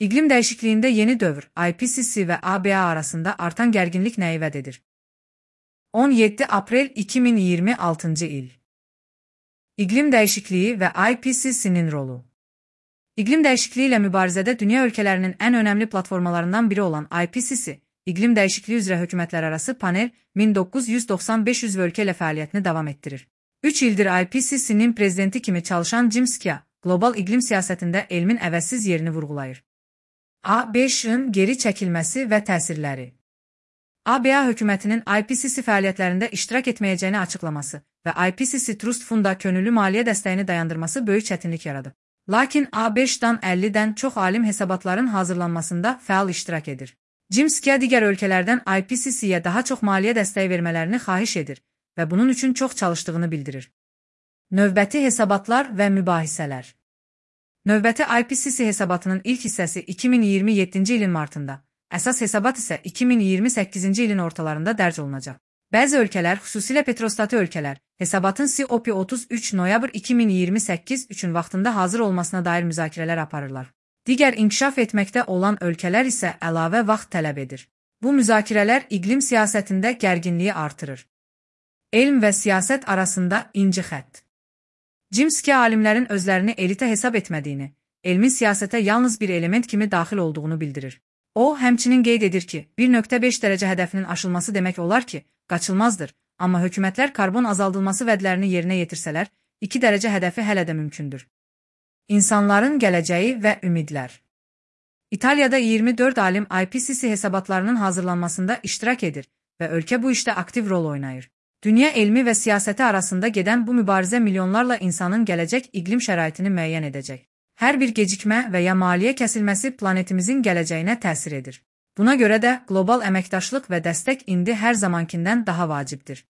İqlim dəyişikliyində yeni dövr, IPCC və ABA arasında artan gərginlik nəyi vəd edir? 17 aprel 2026 il. İqlim dəyişikliyi və IPCC-nin rolu. İqlim dəyişikliyi ilə mübarizədə dünya ölkələrinin ən önəmli platformalarından biri olan IPCC, İqlim dəyişikliyi üzrə hökumətlərarası panel 1995 üzv ölkə ilə fəaliyyətini davam etdirir. 3 ildir IPCC-nin prezidenti kimi çalışan Jim Scia, qlobal iqlim siyasətində elmin əvəzsiz yerini vurğulayır. A5-ın geri çəkilməsi və təsirləri. ABA hökumətinin IPCC fəaliyyətlərində iştirak etməyəcəyini açıqlaması və IPCC Trust Funda könüllü maliyyə dəstəyini dayandırması böyük çətinlik yaradı. Lakin A5-dan 50-dən çox alim hesabatların hazırlanmasında fəal iştirak edir. Jim Scia digər ölkələrdən IPCC-yə daha çox maliyyə dəstəyi vermələrini xahiş edir və bunun üçün çox çalışdığını bildirir. Növbəti hesabatlar və mübahisələr. Növbəti IPCC hesabatının ilk hissəsi 2027-ci ilin martında, əsas hesabat isə 2028-ci ilin ortalarında dərc olunacaq. Bəzi ölkələr, xüsusilə petrostatı ölkələr, hesabatın COP33 noyabr 2028 üçün vaxtında hazır olmasına dair müzakirələr aparırlar. Digər inkişaf etməkdə olan ölkələr isə əlavə vaxt tələb edir. Bu müzakirələr iqlim siyasətində gərginliyi artırır. Elm və siyasət arasında inci xətt. Jim Scia alimlərin özlərini elitə hesab etmədiyini, elmin siyasətə yalnız bir element kimi daxil olduğunu bildirir. O, həmçinin qeyd edir ki, 1.5 dərəcə hədəfinin aşılması demək olar ki, qaçılmazdır, amma hökumətlər karbon azaldılması vədlərini yerinə yetirsələr, 2 dərəcə hədəfi hələ də mümkündür. İnsanların gələcəyi və ümidlər. İtaliyada 24 alim IPCC hesabatlarının hazırlanmasında iştirak edir və ölkə bu işdə aktiv rol oynayır. Dünya elmi və siyasəti arasında gedən bu mübarizə milyonlarla insanın gələcək iqlim şəraitini müəyyən edəcək. Hər bir gecikmə və ya maliyyə kəsilməsi planetimizin gələcəyinə təsir edir. Buna görə də qlobal əməkdaşlıq və dəstək indi hər zamankindən daha vacibdir.